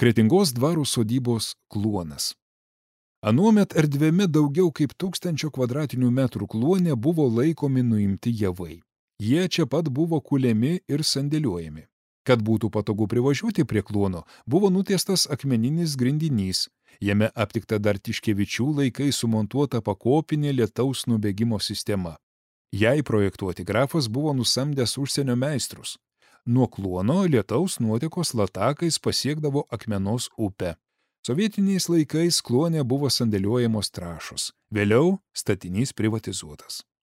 Kretingos dvaro sodybos kluonas. Anuomet erdvėme daugiau kaip 1000 kvadratinių metrų kluone buvo laikomi nuimti javai. Jie čia pat buvo kuliami ir sandėliuojami. Kad būtų patogu privažiuoti prie kluono, buvo nutiestas akmeninis grindinys. Jame aptikta dar Tiškevičių laikais sumontuota pakopinė lietaus nubėgimo sistema. Jai projektuoti grafas buvo nusamdęs užsienio meistrus. Nuo kluono lietaus nuotekos latakais pasiekdavo Akmenos upę. Sovietiniais laikais kluone buvo sandėliuojamos trąšos. Vėliau statinys privatizuotas.